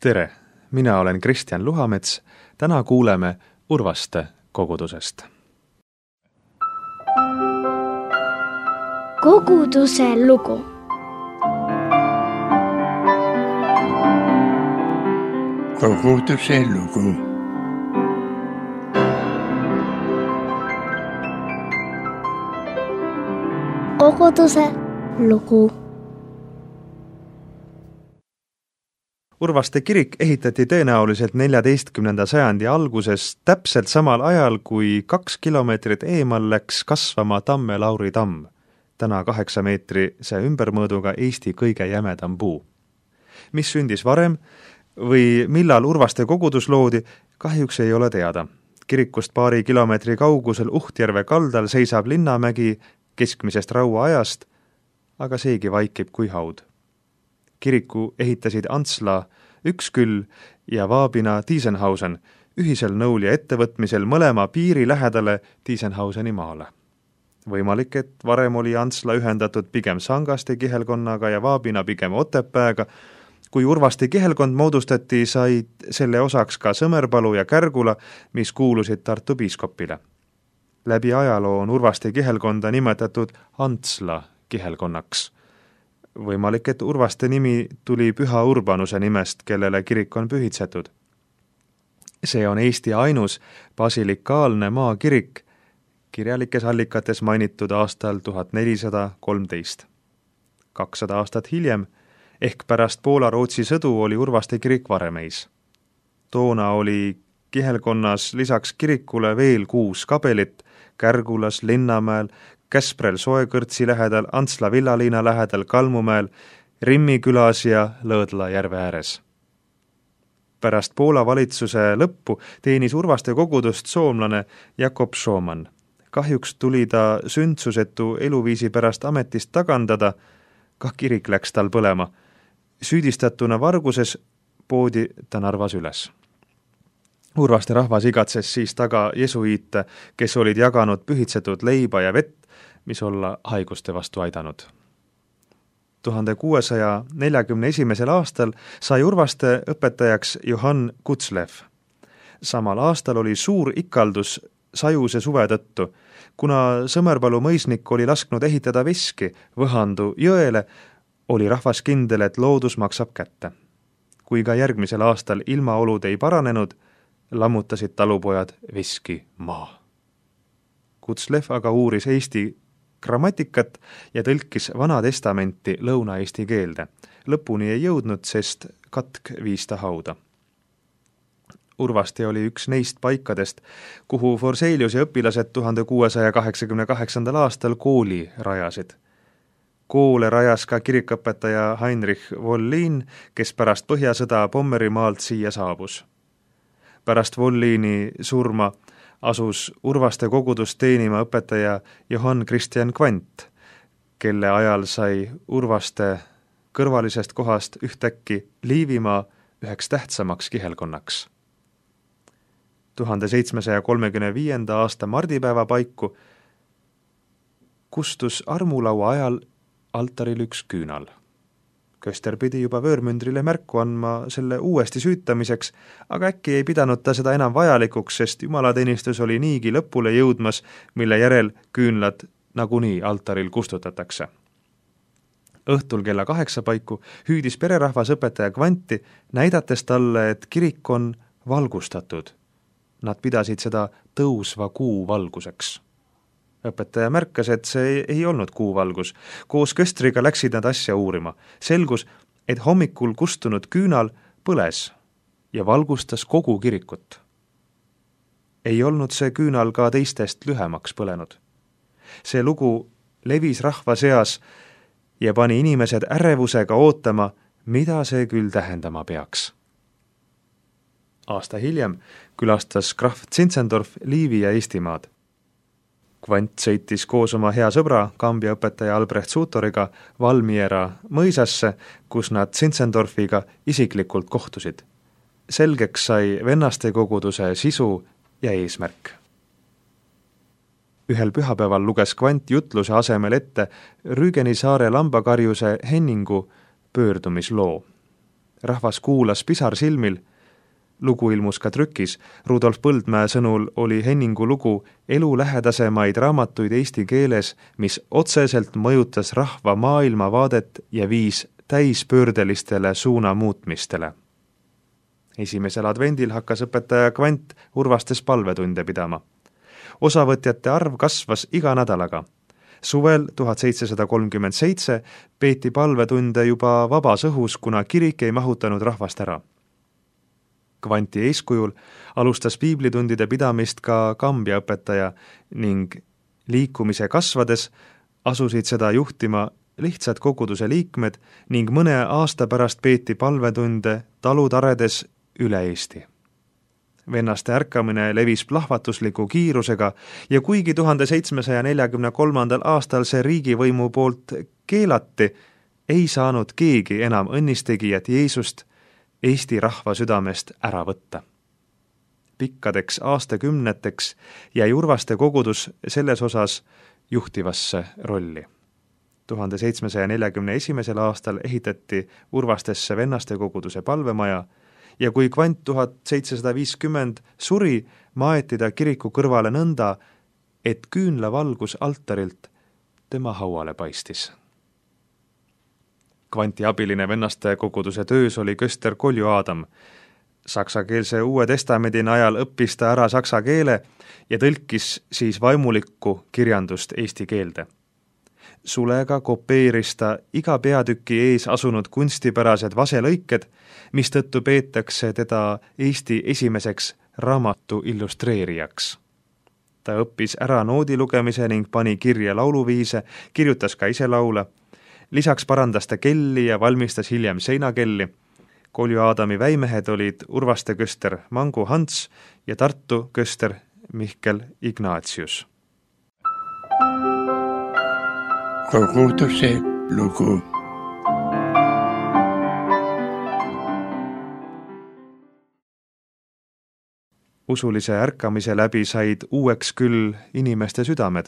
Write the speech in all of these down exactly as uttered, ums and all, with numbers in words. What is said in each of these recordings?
Tere, mina olen Kristjan Luhamets. Täna kuuleme Urvaste kogudusest. Koguduse lugu. Koguduse lugu. Koguduse lugu. Urvaste kirik ehitati tõenäoliselt neljateistkümnenda sajandi alguses täpselt samal ajal, kui kaks kilomeetrit eemal läks kasvama Tamme Lauri tamm, täna kaheksa meetrise ümbermõõduga Eesti kõige jämedam puu. Mis sündis varem või millal Urvaste kogudus loodi, kahjuks ei ole teada. Kirikust paari kilomeetri kaugusel Uhtjärve kaldal seisab Linnamägi keskmisest rauaajast, aga seegi vaikib kui haud. Kiriku ehitasid Antsla Üksküll ja Vaabina Tiesenhausen ühisel nõul ja ettevõtmisel mõlema piiri lähedale Tiesenhauseni maale. Võimalik, et varem oli Antsla ühendatud pigem Sangaste kihelkonnaga ja Vaabina pigem Otepääga. Kui Urvaste kihelkond moodustati, said selle osaks ka Sõmerpalu ja Kärgula, mis kuulusid Tartu piiskopile. Läbi ajaloo on Urvaste kihelkonda nimetatud Antsla kihelkonnaks. Võimalik, et Urvaste nimi tuli Püha Urbanuse nimest, kellele kirik on pühitsetud. See on Eesti ainus basilikaalne maakirik, kirjalikes allikates mainitud aastal tuhat nelisada kolmteist. kakssada aastat hiljem, ehk pärast Poola-Rootsi sõdu oli Urvaste kirik Varemeis. Toona oli kihelkonnas lisaks kirikule veel kuus kabelit Kärgulas, Linnamäel, Käsprel Soekõrtsi lähedal, Antsla villaliina lähedal, Kalmumäel, Rimmi külas ja Lõõdla järve ääres. Pärast Poola valitsuse lõppu teenis Urvaste kogudust soomlane Jakob Šooman. Kahjuks tuli ta sündsusetu eluviisi pärast ametist tagandada, ka kirik läks tal põlema. Süüdistatuna varguses poodi ta Narvas üles. Urvaste rahvas igatses siis taga jesuiite, kes olid jaganud pühitsetud leiba ja vett, mis olla haiguste vastu aidanud. tuhande kuuesaja neljakümne esimesel aastal sai Urvaste õpetajaks Johann Kutzlev. Samal aastal oli suur ikaldus sajuse suve tõttu. Kuna Sõmerpalu mõisnik oli lasknud ehitada veski Võhandu jõele, oli rahvas kindel, et loodus maksab kätte. Kui ka järgmisel aastal ilmaolud ei paranenud, lammutasid talupojad veski maa. Kutzlev aga uuris Eesti grammatikat ja tõlkis Vana Testamenti lõuna-eesti keelde. Lõpuni ei jõudnud, sest katk viis ta hauda. Urvaste oli üks neist paikadest, kuhu Forselius ja õpilased tuhande kuuesaja kaheksakümne kaheksandal aastal kooli rajasid. Koole rajas ka kirikõpetaja Heinrich Wollin, kes pärast Põhjasõda Pommerimaalt siia saabus. Pärast Wollini surma asus Urvaste kogudust teenima õpetaja Johann Christian Kvant, kelle ajal sai Urvaste kõrvalisest kohast ühtäkki Liivimaa üheks tähtsamaks kihelkonnaks. tuhande seitsmesaja kolmekümne viienda aasta mardipäeva paiku kustus armulaua ajal altaril üks küünal. Köster pidi juba vöörmündrile märku andma selle uuesti süütamiseks, aga äkki ei pidanud ta seda enam vajalikuks, sest jumalateenistus oli niigi lõpule jõudmas, mille järel küünlad nagunii altaril kustutatakse. Õhtul kella kaheksa paiku hüüdis pererahvas õpetaja Kvanti, näidates talle, et kirik on valgustatud. Nad pidasid seda tõusva kuu valguseks. Õpetaja märkas, et see ei olnud kuuvalgus. Koos köstriga läksid nad asja uurima. Selgus, et hommikul kustunud küünal põles ja valgustas kogu kirikut. Ei olnud see küünal ka teistest lühemaks põlenud. See lugu levis rahva seas ja pani inimesed ärevusega ootama, mida see küll tähendama peaks. Aasta hiljem külastas krahv Zinzendorf Liivi ja Eestimaad. Kvant sõitis koos oma hea sõbra, Kambja õpetaja Albrecht Suutoriga Valmiera mõisasse, kus nad Zinzendorfiga isiklikult kohtusid. Selgeks sai vennaste koguduse sisu ja eesmärk. Ühel pühapäeval luges Kvant jutluse asemel ette Rügeni saare lambakarjuse Henningu pöördumisloo. rahvas kuulas pisar silmil. Lugu ilmus ka trükis. Rudolf Põldmäe sõnul oli Henningu lugu elu lähedasemaid raamatuid eesti keeles, mis otseselt mõjutas rahva maailmavaadet ja viis täispöördelistele suunamuutmistele. Esimesel advendil hakkas õpetaja Kvant Urvastes palvetunde pidama. Osavõtjate arv kasvas iga nädalaga. Suvel tuhat seitsesada kolmkümmend seitse peeti palvetunde juba vabas õhus, kuna kirik ei mahutanud rahvast ära. Kvanti eeskujul alustas piiblitundide pidamist ka Kambja õpetaja ning liikumise kasvades asusid seda juhtima lihtsad koguduse liikmed ning mõne aasta pärast peeti palvetunde talutaredes üle Eesti. Vennaste ärkamine levis plahvatusliku kiirusega ja kuigi tuhande seitsmesaja neljakümne kolmandal aastal see riigivõimu poolt keelati, ei saanud keegi enam õnnistegijat Jeesust Eesti rahva südamest ära võtta. Pikkadeks aastakümneteks jäi Urvaste kogudus selles osas juhtivasse rolli. tuhande seitsmesaja neljakümne esimesel aastal ehitati Urvastesse vennaste koguduse palvemaja ja kui Kvant tuhat seitsesada viiskümmend suri, maeti ta kiriku kõrvale nõnda, et küünlavalgus altarilt tema hauale paistis. Kvanti abiline vennaste koguduse töös oli köster Kolju Aadam. Saksakeelse Uue Testamendi najal õppis ta ära saksa keele ja tõlkis siis vaimulikku kirjandust eesti keelde. Sulega kopeeris ta iga peatüki ees asunud kunstipärased vaselõiked, mistõttu peetakse teda Eesti esimeseks raamatu illustreerijaks. Ta õppis ära noodi lugemise ning pani kirja lauluviise, kirjutas ka ise laule. Lisaks parandas ta kelli ja valmistas hiljem seinakelli. Kolju Aadami väimehed olid Urvaste köster Mangu Hans ja Tartu köster Mihkel Ignatius. Koguduse lugu. Usulise ärkamise läbi said uueks küll inimeste südamed,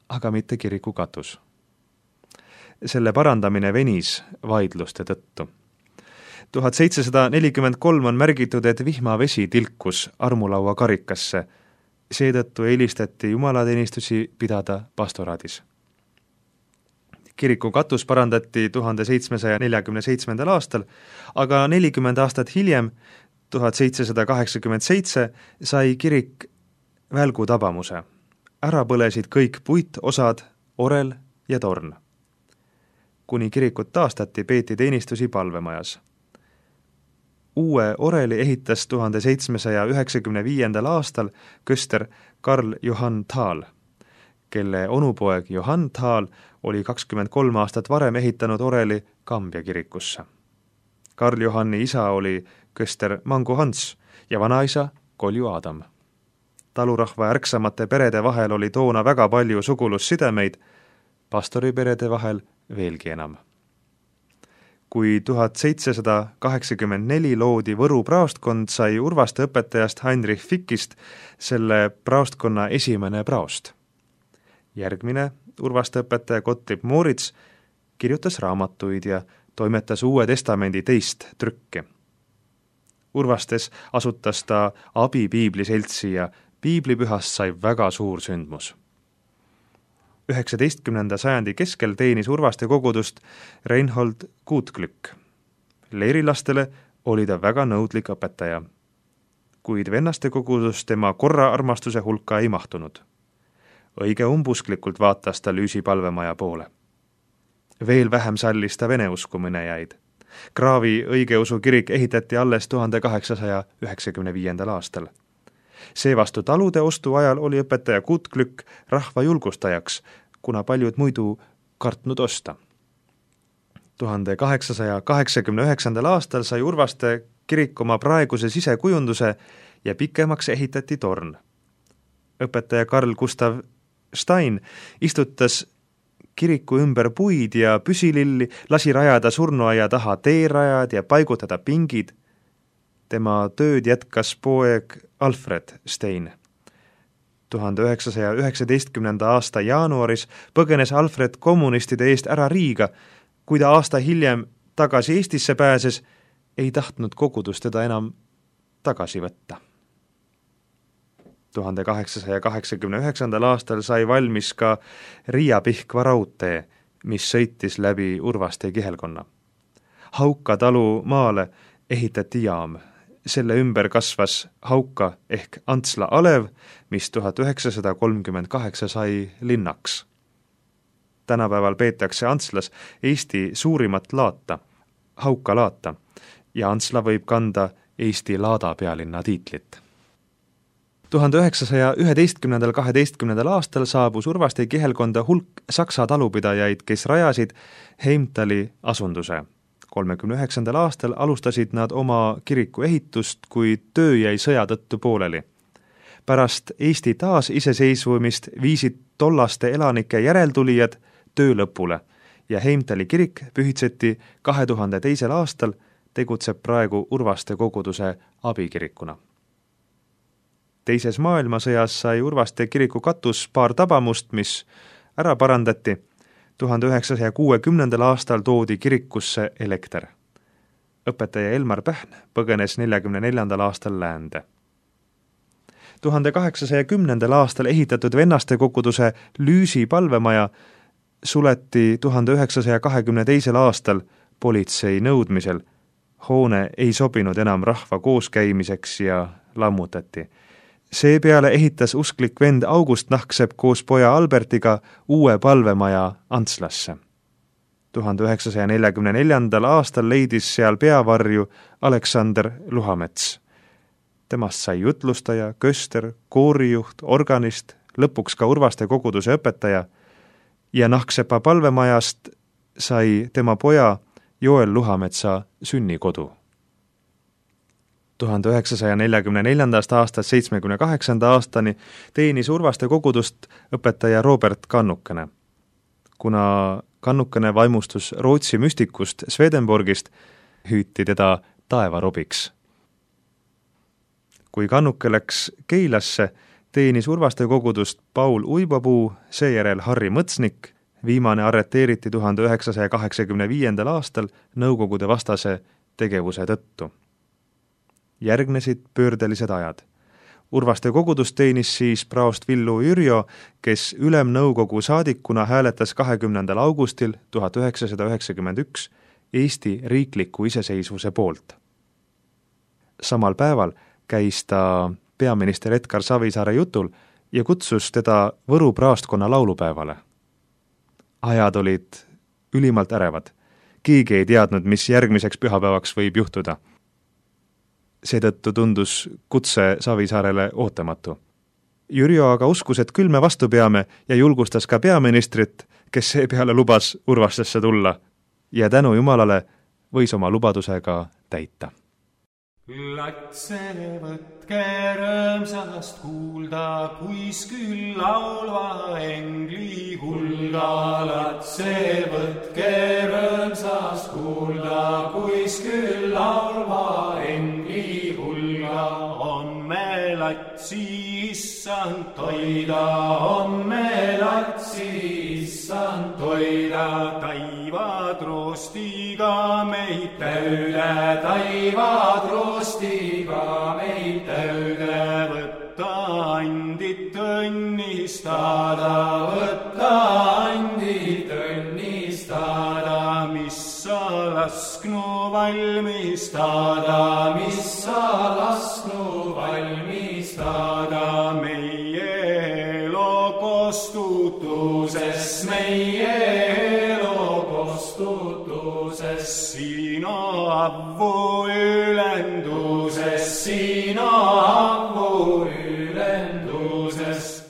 aga mitte kiriku katus. Selle parandamine venis vaidluste tõttu. tuhat seitsesada nelikümmend kolm on märgitud, et vihmavesi tilkus armulaua karikasse. Seetõttu eelistati jumalateenistusi pidada pastoraadis. Kiriku katus parandati tuhande seitsmesaja neljakümne seitsmendal aastal, aga nelikümmend aastat hiljem, tuhat seitsesada kaheksakümmend seitse, sai kirik välgu tabamuse. Ära põlesid kõik puitosad, orel ja torn. Kuni kirikut taastati, peeti teenistusi palvemajas. Uue oreli ehitas tuhande seitsmesaja üheksakümne viiendal aastal köster Karl Johann Thal, kelle onupoeg Johann Thal oli kakskümmend kolm aastat varem ehitanud oreli Kambja kirikusse. Karl Johanni isa oli köster Mangu Hans ja vanaisa Kolju Aadam. Talurahva ärksamate perede vahel oli toona väga palju sugulussidemeid, pastoriperede vahel veelgi enam. Kui tuhat seitsesada kaheksakümmend neli loodi Võru praostkond, sai Urvaste õpetajast Heinrich Fickist selle praostkonna esimene praost. Järgmine Urvaste õpetaja Gottlieb Moritz kirjutas raamatuid ja toimetas Uue Testamendi teist trükki. Urvastes asutas ta Abi piibliseltsi ja piiblipühast sai väga suur sündmus. üheksateistkümnenda sajandi keskel teenis Urvaste kogudust Reinhold Kuutglück. Leirilastele oli ta väga nõudlik õpetaja, kuid vennaste kogudus tema korra armastuse hulka ei mahtunud. Õige umbusklikult vaatas ta Lüüsi palvemaja poole. Veel vähem sallis ta vene uskuminejaid. Kraavi õigeusu kirik ehitati alles tuhande kaheksasaja üheksakümne viiendal aastal. Seevastu talude ostu ajal oli õpetaja Kuutglück rahva julgustajaks, kuna paljud muidu kartnud osta. tuhande kaheksasaja kaheksakümne üheksandal aastal sai Urvaste kirik oma praeguse sisekujunduse ja pikemaks ehitati torn. Õpetaja Karl Gustav Stein istutas kiriku ümber puid ja püsililli, lasi rajada surnuaia taha teerajad ja paigutada pingid. Tema tööd jätkas poeg Alfred Stein. tuhande üheksasaja üheksateistkümnenda aasta jaanuaris põgenes Alfred kommunistide eest ära Riiga. Kui ta aasta hiljem tagasi Eestisse pääses, ei tahtnud kogudus teda enam tagasi võtta. tuhande kaheksasaja kaheksakümne üheksandal aastal sai valmis ka Riia-Pihkva raudtee, mis sõitis läbi Urvaste kihelkonna. Hauka talu maale ehitati jaam. Selle ümber kasvas Hauka ehk Antsla alev, mis tuhat üheksasada kolmkümmend kaheksa sai linnaks. Tänapäeval peetakse Antslas Eesti suurimat laata, Hauka laata, ja Antsla võib kanda Eesti laada pealinna tiitlit. tuhande üheksasaja üheteistkümnendal kaheteistkümnendal aastal saabus Urvaste kihelkonda hulk saksa talupidajaid, kes rajasid Heimtali asunduse. kolmekümne üheksandal aastal alustasid nad oma kiriku ehitust, kuid töö jäi sõja tõttu pooleli. Pärast Eesti taasiseseisvumist viisid tollaste elanike järeltulijad töö lõpule ja Heimtali kirik pühitseti kahe tuhande teisel aastal, tegutseb praegu Urvaste koguduse abikirikuna. Teises maailmasõjas sai Urvaste kiriku katus paar tabamust, mis ära parandati. tuhande üheksasaja kuuekümnendal aastal toodi kirikusse elekter. Õpetaja Elmar Pähn põgenes neljakümne neljandal aastal läände. tuhande kaheksasaja kümnendal aastal ehitatud vennaste koguduse Lüüsi palvemaja suleti tuhande üheksasaja kahekümne teisel aastal politsei nõudmisel. Hoone ei sobinud enam rahva kooskäimiseks ja lammutati. Seepeale ehitas usklik vend August Nahksepp koos poja Albertiga uue palvemaja Antslasse. tuhande üheksasaja neljakümne neljandal aastal leidis seal peavarju Aleksander Luhamets. Temast sai jutlustaja, köster, koorijuht, organist, lõpuks ka Urvaste koguduse õpetaja ja Nahksepa palvemajast sai tema poja Joel Luhametsa sünnikodu. tuhande üheksasaja neljakümne neljandast aastast seitsmekümne kaheksanda aastani teenis Urvaste kogudust õpetaja Robert Kannukene. Kuna Kannukene vaimustus Rootsi müstikust Swedenborgist, hüüti teda taevarobiks. Kui Kannuke läks Keilasse, teenis Urvaste kogudust Paul Uibapuu, seejärel Harri Mõtsnik, viimane arreteeriti tuhande üheksasaja kaheksakümne viiendal aastal Nõukogude vastase tegevuse tõttu. Järgnesid pöördelised ajad. Urvaste kogudus teenis siis praost Villu Jürjo, kes ülemnõukogu saadikuna hääletas kahekümnendal augustil tuhat üheksasada üheksakümmend üks Eesti riikliku iseseisvuse poolt. Samal päeval käis ta peaminister Edgar Savisaare jutul ja kutsus teda Võru praostkonna laulupäevale. Ajad olid ülimalt ärevad. Keegi ei teadnud, mis järgmiseks pühapäevaks võib juhtuda. Seetõttu tundus kutse Savisaarele ootamatu. Jürjo aga uskus, et küll me vastu peame ja julgustas ka peaministrit, kes seepeale lubas Urvastesse tulla ja tänu Jumalale võis oma lubadusega täita. Latse võtke rõõmsast kuulda, kuis küll laulva engli hulga. Latse võtke rõõmsast kuulda, kuis küll laulva engli hulga. Homme latsi issand toida, homme latsi issand toida. Taivad roostiga meid täüde, taivad roostiga meid täüde. Võtta andit õnnistada, võtta andit õnnistada. Mis sa lasknu valmistada, mis sa lasknu valmistada. Meie elo kostutuses, meie elo kostutuses. Sina avvu ülenduses, sina avvu ülenduses.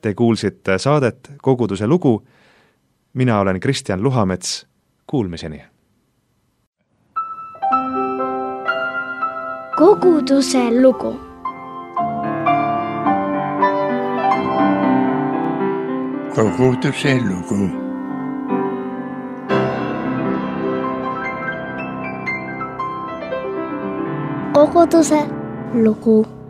Te kuulsite saadet Koguduse lugu. Mina olen Kristjan Luhamets. Kuulmiseni. Koguduse lugu. Koguduse lugu. Koguduse lugu.